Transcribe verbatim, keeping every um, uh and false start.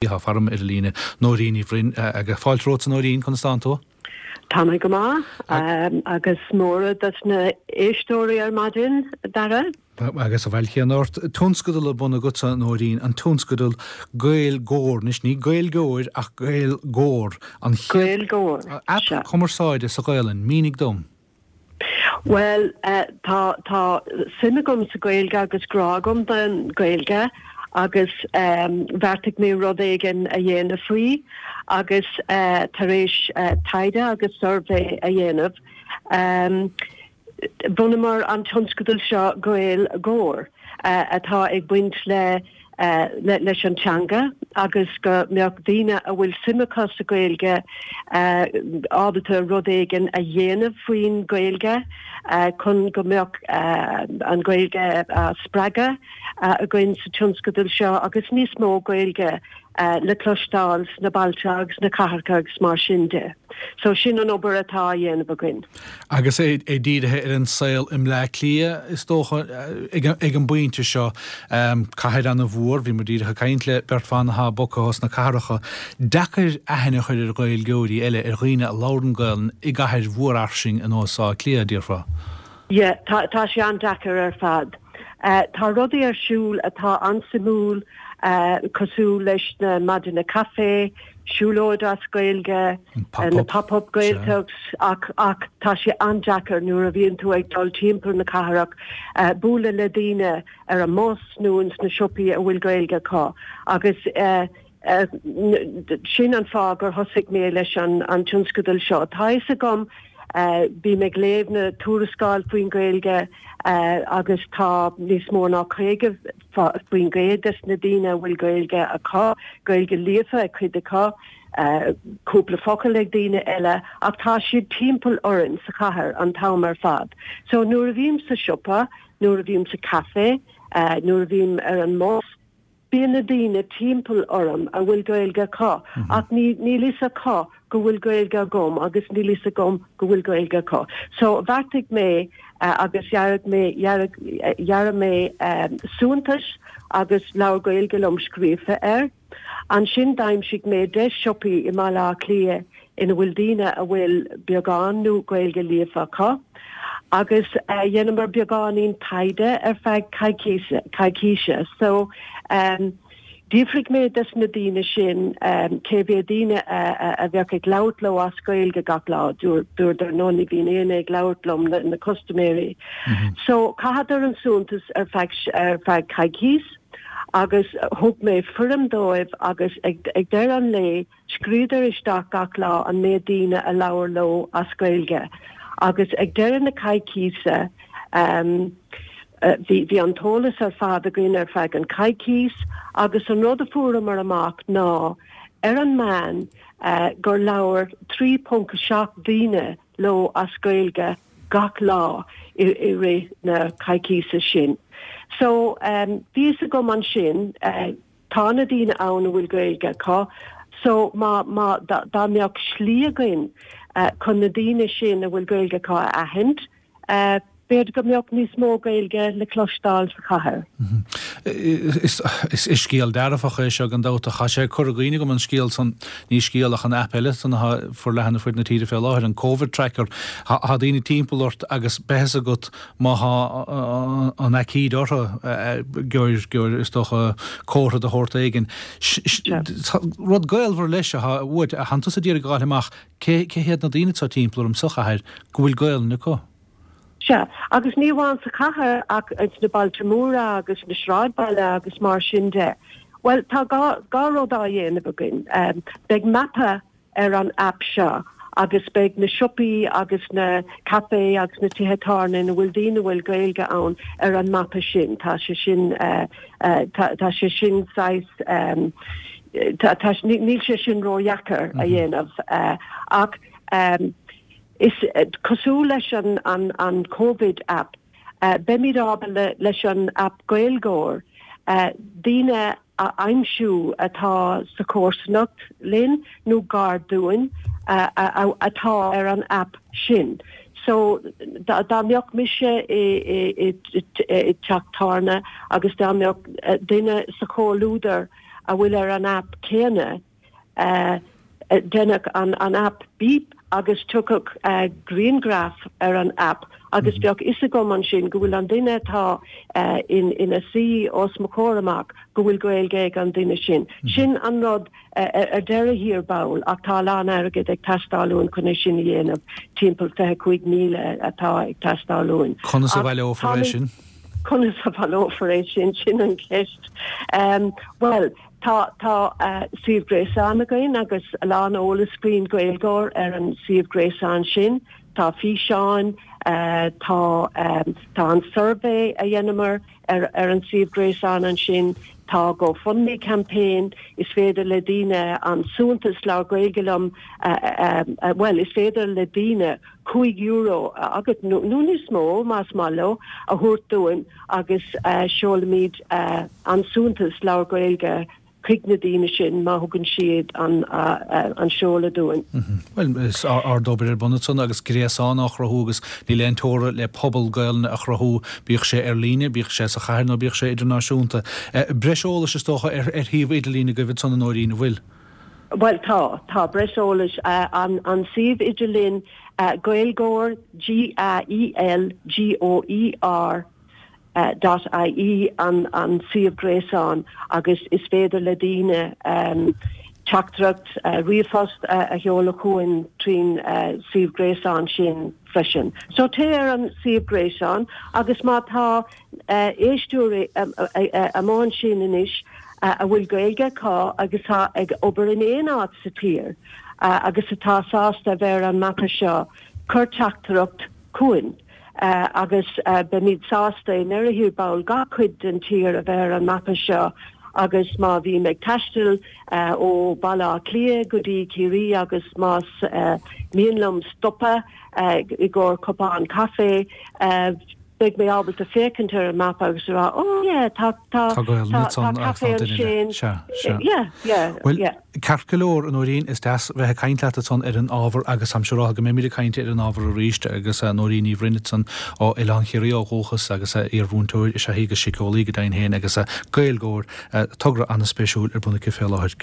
Tá farm ar líne Nóirín Ní Bhroin agus fáilte romhat a Nóirín conas tánn tú? Tá mé go maith agus móra dos na éisteoirí ar maidin Dara. Agus a bhfáilte ort tionscadal ar bun agatsa a Nóirín an tionscadal Gaeilgeoir anois ní Gaeilgeoir ach Gaeilgeoir an Gaeilgeoir aip cumarsáide sa Ghaelainn mínigh dom. Well uh, tá tá suim agam sa Gaeilge agus grá agam don Gaeilge agus um, bheartaigh mé rud éigin a dhéanamh faoi agus uh, tar éis uh, taighde agus suirbhé a dhéanamh. Um, Bhunaíomar an tionscadal seo Gaeilgeoir uh, atá ag baint le uh, le, leis an teanga agus go mbeadh daoine a bhfuil suim acu sa Gaeilge uh, ábalta rud éigin a dhéanamh faoin Gaeilge uh, chun go mbeadh uh, an Gaeilge uh, spreagadh uh, againn sa tionscadal seo agus níos mó Gaeilge uh, le cloisteáil sna bailte agus na cathracha agus mar sin de. So sin an obair atá á dhéanamh againn. Agus é é dírithe ar an saol i mBleá Cliath is dócha ag ag an bpointe seo um, cathair an-mhór, bhí muid díreach ag caint le beirt bhan atá bogtha as na cathracha. Deacair aithne a chur ar Ghaeilgeoirí eile ar dhaoine a labhrann Gaelainn i gcathair mhór fhairsing ar nós Átha Cliath déarfá. Yeah, tá, tá sé an-deacair ar fad. Uh, tá rudaí ar siúl atá an-suimiúil uh, cosúil leis na maidine caife, siúlóid as Gaeilge, uh, na pop-up Gaeltachts ach ach tá sé an-deacair nuair a bhíonn tú ag dul timpeall na cathrach uh, bualadh le daoine ar an mbus nó sna siopaí a bhfuil Gaeilge acu agus uh, uh, sin an fáth gur thosaigh mé leis an, an tionscadal seo. Tá a fhios agam uh, bím ag léamh na tuarascáil faoin Gaeilge uh, agus tá níos mó ná caoga faoin gcéad des na daoine bhfuil Gaeilge acu, Gaeilge líofa ag cuid acu, uh, cúpla focal ag daoine eile ach tá siad timpeall orainn sa chathair an t-am ar fad. So nuair a bhím sa siopa, nuair a bhím sa café, uh, nuair a bhím ar an mbus, bíonn na daoine timpeall orm a bhfuil Gaeilge acu mm -hmm. ach ní níl a fhios acu go bhfuil Gaeilge agam agus níl a fhios agam go bhfuil Gaeilge acu. So bheartaigh mé uh, agus dhear mé dhear mé um, suaitheantas agus labhair Gaeilge liom scríofa air. Ansin d'aimsigh mé deich siopaí i mBaile Átha Cliath ina bhfuil daoine a bhfuil beagán nó Gaeilge líofa acu. agus uh, dhéanamar beagáinín taighde ar feadh coicíse. So um, D'fhiafraigh mé des na daoine sin um, cé mhéad daoine a bheadh ag labhairt leo as Gaeilge gach lá dúradar no ní bhíonn éinne ag labhairt liom na, na custaiméirí. Mm -hmm. So chaitheadar an suaitheantas ar feadh ar feadh coicís agus thug mé foirm dóibh agus ag, ag deireadh an lae scríobhadar isteach gach lá an méid daoine a labhair leo as Gaeilge. agus ag deireadh na coicíse um, uh, bhí bhí an t-eolas ar fad againn ar feadh an coicís agus an rud a fuaireamar amach ná ar an meán uh, gur labhair trí ponc seacht daoine leo as Gaeilge gach lá i, i rith na coicíse sin. So um, bhí a fhios agam ansin uh, tá na daoine ann a bhfuil Gaeilge acu, so má má dá mbeadh slí againn uh, chun na daoine sin a bhfuil Gaeilge acu a aithint, uh, b'fhéidir go mbeadh níos mó Gaeilge le cloisteáil sa chathair. Mhm. Is is scéal dearfach é seo gan dabht tá sé curtha i gcuimhne agam an scéal san ní scéal ach an aip eile san atá forleathan ar fud na tíre fé láthair an COVID tracker tá daoine timpeall ort agus beidh a fhios agat má tá an aicíd orthu gur gur is dócha comhartha de shórt éigin. Rud gaolmhar leis a bhuaid a hantas a d'iarraidh gabháil amach cé cé hiad na daoine atá timpeall orm sa chathair go bhfuil Gaelainn acu. Sea, agus ní amháin sa chathair ach na bailte móra agus na sráidbhailte agus mar sin de. Well tá dhá rud á dhéanamh againn. Um, beidh mapa ar an app seo agus beidh na siopaí agus na café agus na tithe tábhairne ina bhfuil daoine bhfuil Gaeilge ann ar an mapa sin tá sé sin uh, uh, tá sé sin sais um, níl sé sin ródheacair a mhm. dhéanamh uh, ach um, is uh, cosúil leis an, an, an COVID app uh, beimid ábalta leis an app Gaeilgeoir uh, daoine a aimsiú atá sa chomharsanacht linn nó gar dúinn uh, atá ar an app sin. So dá mbeadh mise i i teach tábhairne agus dá mbeadh duine sa chomhluadar a bhfuil ar an app céanna, déanfadh an app bíp agus tiocfadh grianghraf ar an app agus bheadh fhios agam ansin go bhfuil an duine atá ina suí os mo chomhair amach go bhfuil Gaeilge ag an duine sin. Sin an rud ar deireadh thiar ball ach tá a lán airgid ag teastáil uainn chun é sin a dhéanamh, timpeall fiche cúig míle atá ag teastáil uainn. Conas a bhaileofar é sin? Conas a bhaileofar é sin, sin an cheist. Bhuel, tá tá suíomh gréasáin againn agus a lán eolas faoin Gaeilgeoir ar an suíomh gréasáin sin. Tá físeáin, tá tá an suirbhé a dhéanamar ar ar an suíomh gréasáin ansin, tá GoFundMe campaign, is féidir le daoine an suaitheantas Labhair Gaeilge Liom, bhuel, is féidir le daoine cúig euro agus nó níos mó más maith leo a thabhairt dúinn agus seolfaimid an suaitheantas Labhair Gaeilge chuig na daoine sin má thugann siad an an seoladh dúinn. Bhuel, is ardobair ar bun ansan agus gréasán á chruthú agus níl aon teora le pobal Gaelainne a chruthú, bíodh sé ar líne, bíodh sé sa chathair nó bíodh sé idirnáisiúnta. Breis eolais is dócha ar shuíomh idirlín agaibh ansan a Nóirín, an bhfuil? Bhuel tá, tá breis eolais. An an suíomh idirlín Gaeilgeoir, G A E L G O E R dot I E an an suíomh gréasáin agus is féidir le daoine teachtaireacht ríomhphost a sheoladh chugainn trín suíomh gréasáin sin freisin. So téigh ar an suíomh gréasáin agus má tá éisteoirí amuigh ansin anois a bhfuil Gaeilge acu agus atá ag obair in aon áit sa tír agus atá sásta a bheith ar an mapa seo, cuir teachtaireacht chugainn agus beimid sásta i ndeireadh thiar ball gach cuid den tír a bheith ar an mapa seo agus má bhím ag taisteal ó Bhaile Átha Cliath go dtí Ciarraí agus más mian liom stopadh i gcomhair cupán caife, beidh mé ábalta féachaint ar an mapa agus a rá, oh yeah, tá tá tá caife ansin. Sea, sea. Yeah, yeah, Bhuel, yeah. ceart go leor, a Nóirín, is deas bheith ag caint leat ansan ar an ábhar agus táimse ag rá go mbeimid ag caint ar an ábhar arís agus Nóirín Ní Bhroin ansan ó Oileán Chiarraí ó dhúchas agus iar-mhúinteoir is ea í agus síceolaí go deimhin féin agus Gaeilgeoir, togra an-spéisiúil ar bun aici fé láthair.